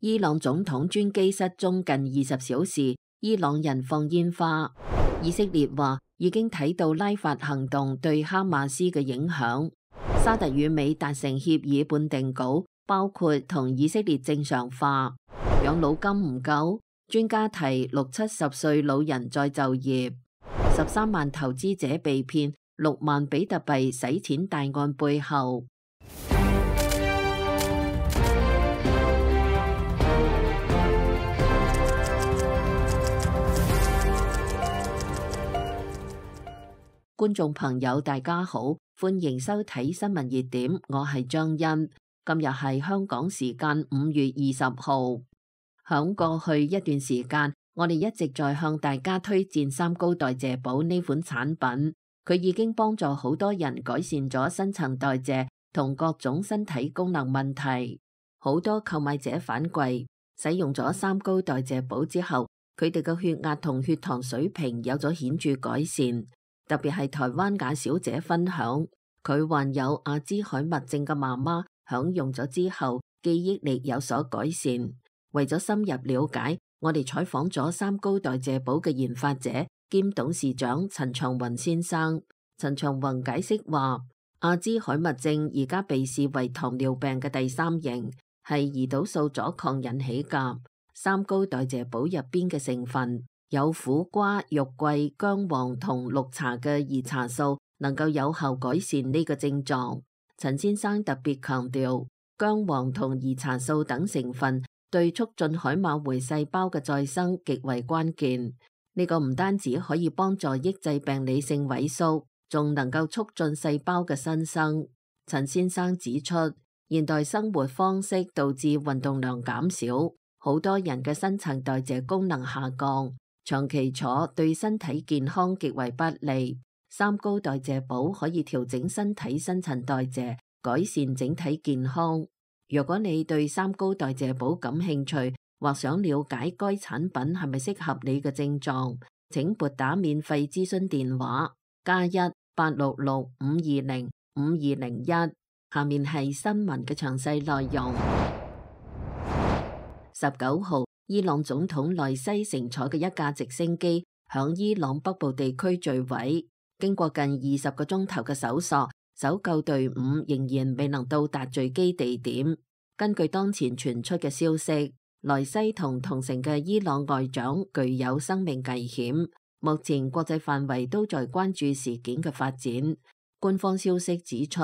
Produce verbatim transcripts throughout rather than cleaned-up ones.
伊朗總統專機失蹤近二十小時，伊朗人放煙花。以色列話已經睇到拉法行動對哈馬斯嘅影響。沙特與美達成協議半定稿，包括同以色列正常化。養老金唔夠，專家提六七十歲老人再就業。十三萬投資者被騙，六萬比特幣洗錢大案背後。觀眾朋友大家好，歡迎收睇新聞熱點，我係張欣。今日係香港時間五月二十號。響過去一段時間，我哋一直在向大家推薦三高代謝寶呢款產品，佢已經幫助好多人改善咗新陳代謝同各種身體功能問題。好多購買者反饋，使用咗三高代謝寶之後，佢哋嘅血壓同血糖水平有咗顯著改善。特別係台灣雅小姐分享，佢患有阿茲海默症嘅媽媽享用咗之後，記憶力有所改善。為咗深入了解，我哋採訪咗三高代謝寶嘅研發者兼董事長陳長雲先生。陳長雲解釋話，阿茲海默症而家被視為糖尿病嘅第三型，係胰島素阻抗引起㗎。三高代謝寶入邊嘅成分有苦瓜、肉桂、薑黃同綠茶嘅兒茶素，能夠有效改善呢個症狀。陳先生特別強調，薑黃同兒茶素等成分對促進海馬回細胞嘅再生極為關鍵。呢個唔單止可以幫助抑制病理性萎縮，仲能夠促進細胞嘅新生。陳先生指出，現代生活方式導致運動量減少，好多人嘅新陳代謝功能下降。長期坐對身體健康極為不利，三高代謝寶可以調整身體新陳代謝，改善整體健康。如果你對三高代謝寶感興趣，或想了解該產品係咪適合你嘅症狀，請撥打免費諮詢電話加一八六六五二零五二零一。下面係新聞嘅詳細內容。十九號。伊朗總統萊西乘坐嘅一架直升機響伊朗北部地區墜毀，經過近二十個鐘頭嘅搜索，搜救隊伍仍然未能到達墜機地點。根據當前傳出嘅消息，萊西同同乘嘅伊朗外長具有生命危險，目前國際範圍都在關注事件嘅發展。官方消息指出，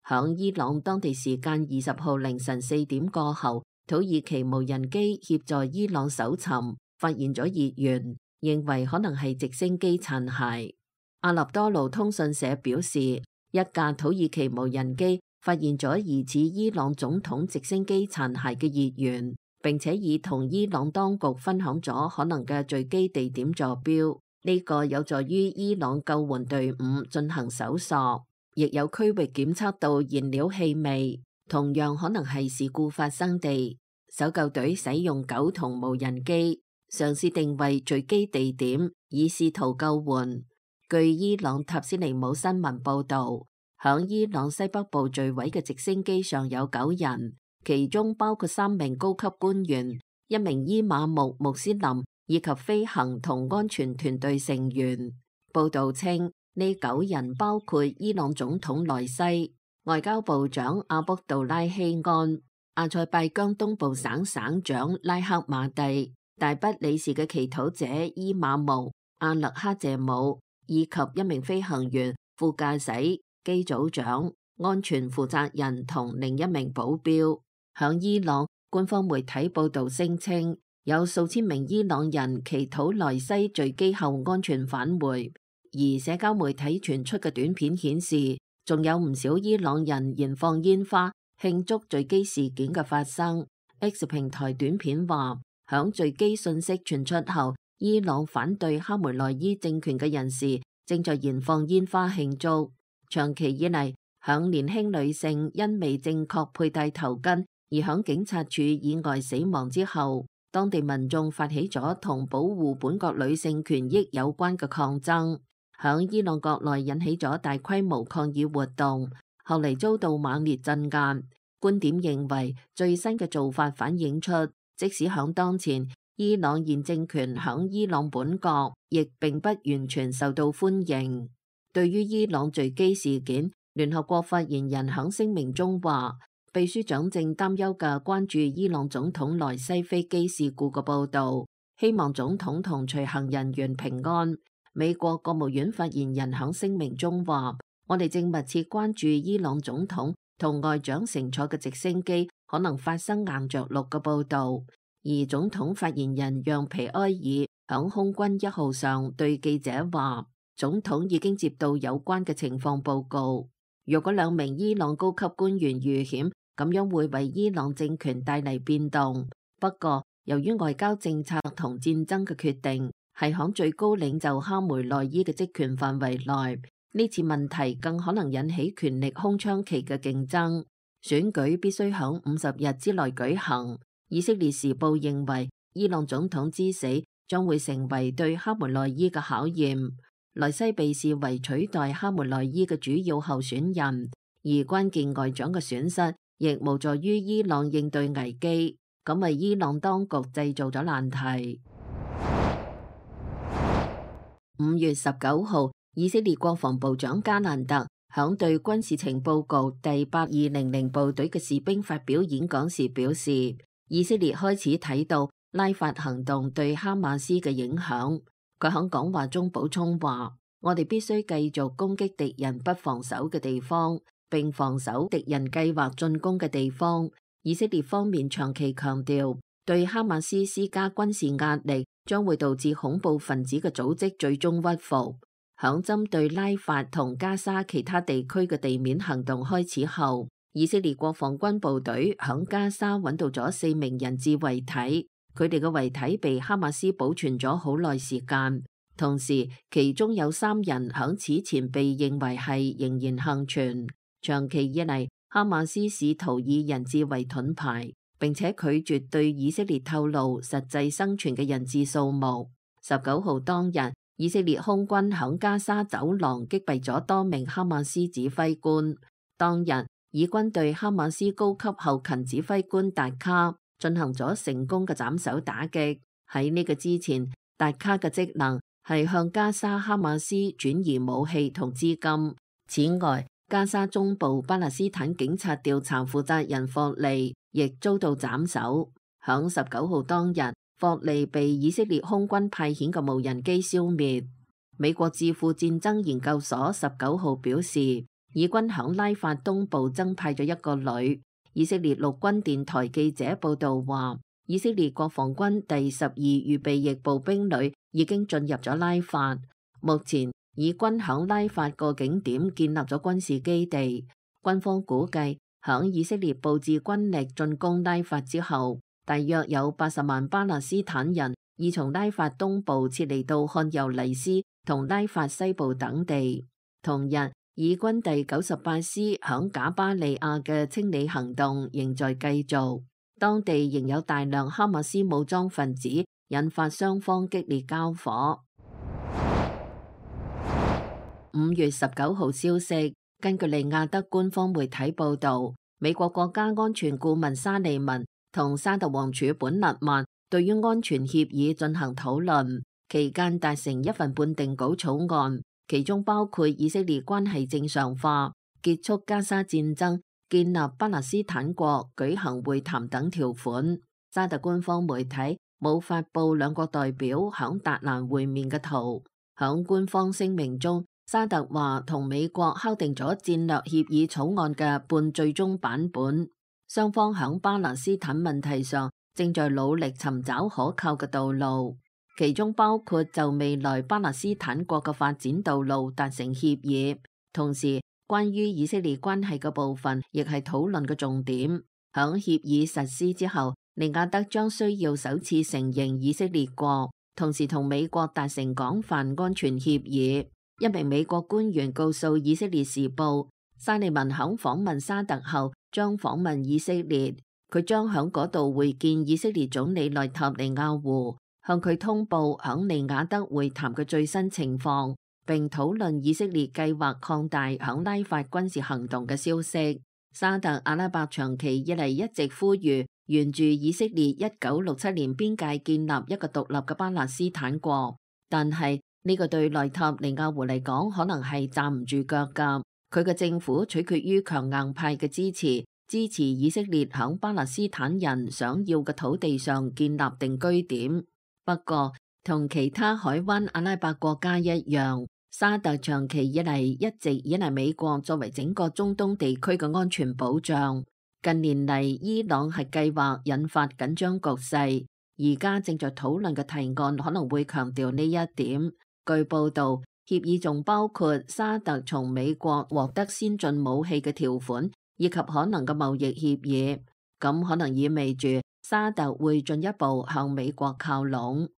響伊朗當地時間二十號凌晨四點過後，土耳其無人機協助伊朗搜尋，發現咗熱源，認為可能係直升機殘骸。阿納多盧通訊社表示，一架土耳其無人機發現咗疑似伊朗總統直升機殘骸嘅熱源，並且已同伊朗當局分享咗可能嘅墜機地點坐標。呢個有助於伊朗救援隊伍進行搜索，亦有區域檢測到燃料氣味，同樣可能係事故發生地。搜救隊使用九筒無人機嘗試定位墜機地點，以試圖救援。據伊朗塔斯尼姆新聞報道，響伊朗西北部墜毀嘅直升機上有九人，其中包括三名高級官員、一名伊瑪目穆斯林以及飛行同安全團隊成員。報道稱，呢九人包括伊朗總統萊西、外交部長阿卜杜拉希安、阿塞拜疆東部省省長拉克馬蒂、大不里士嘅祈禱者伊瑪目、阿勒克謝姆，以及一名飛行員、副駕駛、機組長、安全負責人同另一名保鏢。響伊朗，官方媒體報道聲稱，有數千名伊朗人祈禱萊西墜機後安全返回，而社交媒體傳出嘅短片顯示，仲有唔少伊朗人燃放煙花慶祝墜機事件嘅發生。X 平台短片話，響墜機信息傳出後，伊朗反對哈梅內伊政權嘅人士正在燃放煙花慶祝。長期以嚟，響年輕女性因未正確佩戴頭巾而響警察處以外死亡之後，當地民眾發起咗同保護本國女性權益有關嘅抗爭，響伊朗國內引起咗大規模抗議活動，後嚟遭到猛烈鎮壓。觀點認為，最新嘅做法反映出即使響當前，伊朗現政權響伊朗本國亦並不完全受到歡迎。對於伊朗墜機事件，聯合國發言人響聲明中話，秘書長正擔憂嘅關注伊朗總統萊西飛機事故嘅報導，希望總統同隨行人員平安。美國國務院發言人響聲明中話，我哋正密切關注伊朗總統同外長乘坐嘅直升機可能發生硬着陸嘅報導。而總統發言人讓皮埃爾響空軍一號上對記者話，總統已經接到有關嘅情況報告。若果兩名伊朗高級官員遇險，咁樣會為伊朗政權帶嚟變動。不過，由於外交政策同戰爭嘅決定係響最高領袖哈梅內伊嘅職權範圍內，呢次問題更可能引起權力空窗期嘅競爭。選舉必須響五十日之內舉行。以色列時報認為，伊朗總統之死將會成為對哈梅內伊嘅考驗。萊西被視為取代哈梅內伊嘅主要候選人，而關鍵外長嘅損失亦無助於伊朗應對危機，咁為伊朗當局製造咗難題。五月十九號，以色列國防部長加蘭特響對軍事情報局第八二零零部隊嘅士兵發表演講時表示，以色列開始睇到拉法行動對哈馬斯嘅影響。佢喺講話中補充話，我哋必須繼續攻擊敵人不防守嘅地方，並防守敵人計劃進攻嘅地方。以色列方面長期強調，對哈馬斯施加軍事壓力將會導致恐怖分子嘅組織最終屈服。響針對拉法同加沙其他地區嘅地面行動開始後，以色列國防軍部隊響加沙揾到咗四名人質遺體。佢哋嘅遺體被哈馬斯保存咗好耐時間，同時其中有三人響此前被認為係仍然幸存。長期以嚟，哈馬斯試圖以人質為盾牌，並且拒絕對以色列透露實際生存嘅人質數目。十九號當日，以色列空軍響加沙走廊擊斃咗多名哈馬斯指揮官。當日，以軍對哈馬斯高級後勤指揮官達卡進行咗成功嘅斬首打擊。喺呢個之前，達卡嘅職能係向加沙哈馬斯轉移武器同資金。此外，加沙中部巴勒斯坦警察調查負責人霍利亦遭到斬首。響十九號當日，霍利被以色列空軍派遣嘅無人機消滅。美國智庫戰爭研究所十九號表示，以軍響拉法東部增派咗一個旅。以色列陸軍電台記者報道話，以色列國防軍第十二預備役步兵旅已經進入咗拉法。目前，以軍響拉法個景點建立咗軍事基地。軍方估計，響以色列佈置軍力進攻拉法之後，大約有八十萬巴勒斯坦人已從拉法東部撤離到漢尤尼斯同拉法西部等地。同日，以軍第九十八師響賈巴利亞嘅清理行動仍在繼續，當地仍有大量哈馬斯武裝分子，引發雙方激烈交火。五月十九號消息，根據利雅得官方媒體報道，美國國家安全顧問沙利文同沙特王儲本勒曼對於安全協議進行討論，期間達成一份半定稿草案。其中包括以色列關係正常化、結束加沙戰爭、建立巴勒斯坦國、舉行會談等條款。沙特官方媒體冇發布兩國代表響達蘭會面嘅圖。響官方聲明中，沙特話同美國敲定咗戰略協議草案嘅半最終版本。雙方響巴勒斯坦問題上正在努力尋找可靠嘅道路。其中包括就未來巴勒斯坦國嘅發展道路達成協議，同時關於以色列關係嘅部分亦係討論嘅重點。響協議實施之後，利雅得將需要首次承認以色列國，同時同美國達成廣泛安全協議。一名美國官員告訴以色列時報，沙利文響訪問沙特後將訪問以色列，佢將響嗰度會見以色列總理內塔尼亞胡，向佢通報響利雅得會談嘅最新情況，並討論以色列計劃擴大響拉法軍事行動嘅消息。沙特阿拉伯長期以嚟一直呼籲沿住以色列一九六七年邊界建立一個獨立嘅巴勒斯坦國，但係呢個對內塔尼亞胡嚟講可能係站唔住腳㗎。佢嘅政府取決於強硬派嘅支持，支持以色列響巴勒斯坦人想要嘅土地上建立定居點。不過，同其他海灣阿拉伯國家一樣，沙特長期以嚟一直依賴美國作為整個中東地區嘅安全保障。近年嚟，伊朗核計劃引發緊張局勢，而家正在討論嘅提案可能會強調呢一點。據報道，協議仲包括沙特從美國獲得先進武器嘅條款，以及可能嘅貿易協議。咁可能意味住沙特會進一步向美國靠攏。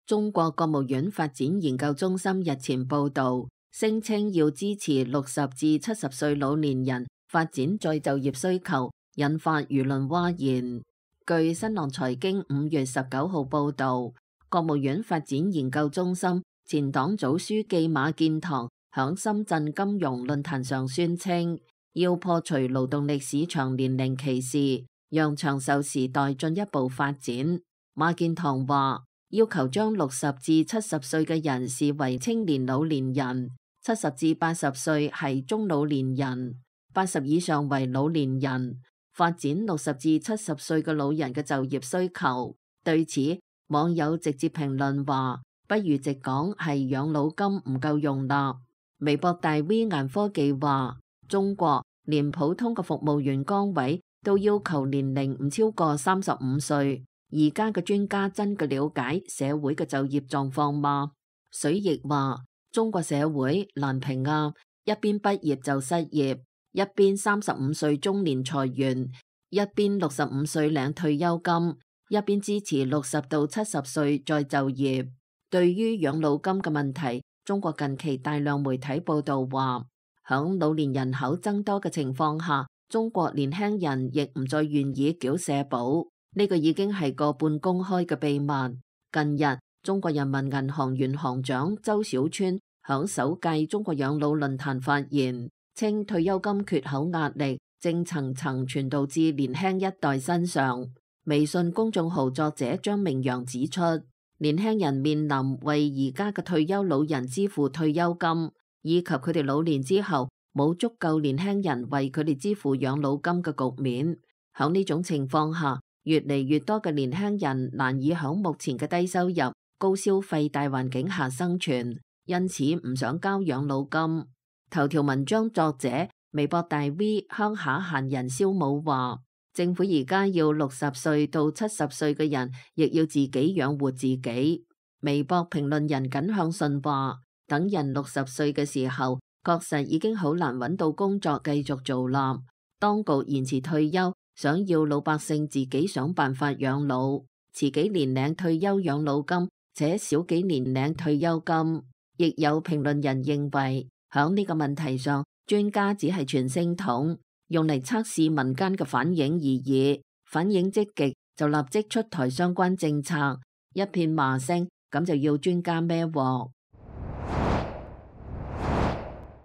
中國國務院發展研究中心日前報道，聲稱要支持六十至七十歲老年人發展再就業需求，引發輿論譁然。據新浪財經五月十九號報道，國務院發展研究中心前黨組書記馬建堂響深圳金融論壇上宣稱，要破除勞動力市場年齡歧視，讓長壽時代進一步發展。馬建堂話，要求將六十至七十歲嘅人視為青年老年人，七十至八十歲係中老年人，八十以上為老年人，發展六十至七十歲嘅老人嘅就業需求。對此，網友直接評論話，不如直講係養老金唔夠用啦。微博大 V 顏科技話，中國連普通嘅服務員崗位都要求年齡唔超過三十五歲。而家嘅專家真嘅了解社會嘅就業狀況嗎？水逆話，中國社會難評啊，一邊畢業就失業，一邊三十五歲中年裁員，一邊六十五歲領退休金，一邊支持六十到七十歲再就業。對於養老金嘅問題，中國近期大量媒體報道話，響老年人口增多嘅情況下，中國年輕人亦唔再願意繳社保。呢個已經係個半公開嘅秘密。近日，中國人民銀行原行長周小川響首屆中國養老論壇發言，稱退休金缺口壓力正層層傳導至年輕一代身上。微信公眾號作者張明陽指出，年輕人面臨為而家嘅退休老人支付退休金，以及佢哋老年之後冇足夠年輕人為佢哋支付養老金嘅局面。響呢種情況下，越嚟越多嘅年輕人難以響目前嘅低收入、高消費大環境下生存，因此唔想交養老金。頭條文章作者微博大 V 鄉下閒人蕭武話，政府而家要六十歲到七十歲嘅人亦要自己養活自己。微博評論人耿向順話，等人六十歲嘅時候，確實已經好難揾到工作繼續做啦。當局延遲退休，想要老百姓自己想辦法養老，遲幾年領退休養老金，且少幾年領退休金。亦有評論人認為，響呢個問題上，專家只係傳聲筒，用嚟測試民間嘅反應而已。反應積極就立即出台相關政策，一片罵聲，咁就要專家孭鑊。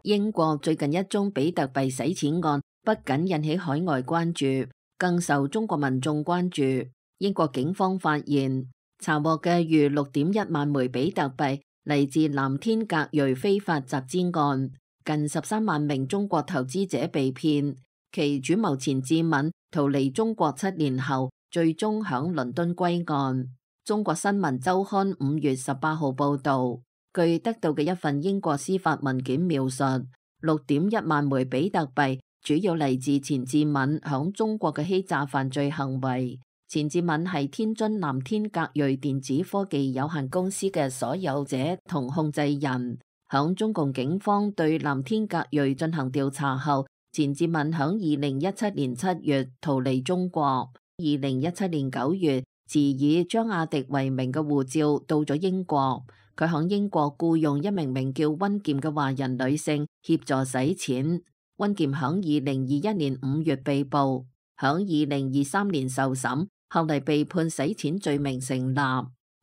英國最近一宗比特幣洗錢案，不僅引起海外關注，更受中國民眾關注。英國警方發現查獲嘅逾六點一萬枚比特幣嚟自藍天格瑞非法集資案，近十三萬名中國投資者被騙，其主謀錢志敏逃離中國七年後，最終響倫敦歸案。中國新聞周刊五月十八號報道，據得到嘅一份英國司法文件描述，六點一萬枚比特幣主要嚟自錢志敏響中國嘅欺詐犯罪行為。錢志敏係天津藍天格瑞電子科技有限公司嘅所有者同控制人。響中共警方對藍天格瑞進行調查後，錢志敏響二零一七年七月逃離中國。二零一七年九月，持以張亞迪為名嘅護照到咗英國。佢響英國僱用一名名叫溫劍嘅華人女性協助洗錢。溫劍響二零二一年五月被捕，響二零二三年受審，後嚟被判洗錢罪名成立。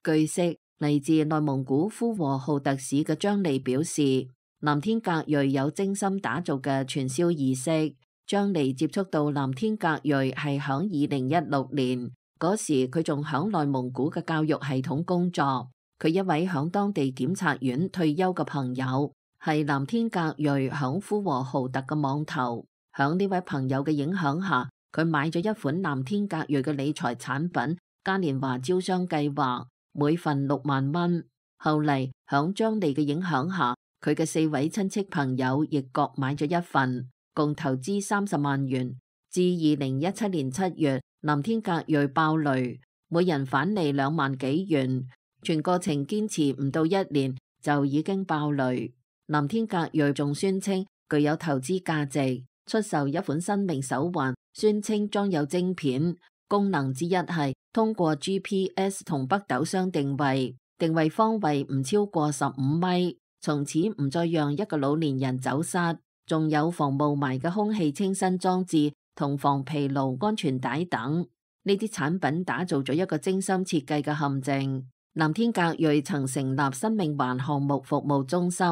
據悉，嚟自內蒙古呼和浩特市嘅張莉表示，藍天格瑞有精心打造嘅傳銷儀式。張莉接觸到藍天格瑞係響二零一六年，嗰時佢仲響內蒙古嘅教育系統工作。佢一位響當地檢察院退休嘅朋友，係藍天格瑞響呼和浩特嘅網頭。響呢位朋友嘅影響下，佢買咗一款藍天格瑞嘅理財產品嘉年華招商計劃，每份六萬蚊。後嚟響張莉嘅影響下，佢嘅四位親戚朋友亦各買咗一份，共投資三十萬元。至二零一七年七月，藍天格瑞爆雷，每人返利兩萬幾元。全過程堅持唔到一年就已經爆雷。藍天格瑞仲宣稱具有投資價值，出售一款新穎手環，宣稱裝有晶片，功能之一係通過 G P S 同北斗相定位，定位方位唔超過十五米，從此唔再讓一個老年人走失。仲有防霧霾嘅空氣清新裝置同防疲勞安全帶等，呢啲產品打造咗一個精心設計嘅陷阱。藍天格瑞曾成立生命環項目服務中心，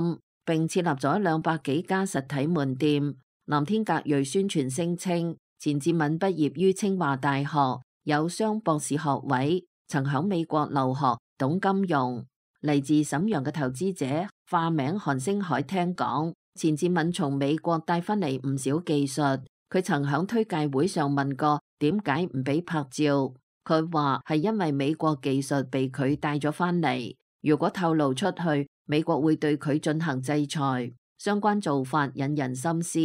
並設立咗兩百幾家實體門店。藍天格瑞宣傳聲稱，錢志敏畢業於清華大學，有雙博士學位，曾響美國留學，懂金融。嚟自瀋陽嘅投資者化名韓星海聽講，錢志敏從美國帶返嚟唔少技術，佢曾響推介會上問過點解唔俾拍照。佢話係因為美國技術被佢帶咗返嚟，如果透露出去，美國會對佢進行制裁。相關做法引人深思。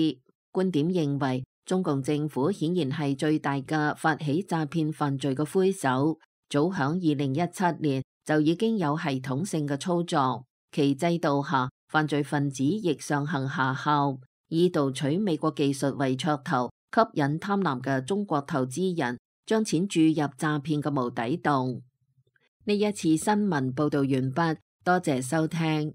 觀點認為，中共政府顯然係最大嘅發起詐騙犯罪嘅魁首，早響二零一七年就已經有系統性嘅操作。其制度下，犯罪分子亦上行下效，以盜取美國技術為噱頭，吸引貪婪嘅中國投資人將錢注入詐騙嘅無底洞。呢一次新聞報道完畢，多謝收聽。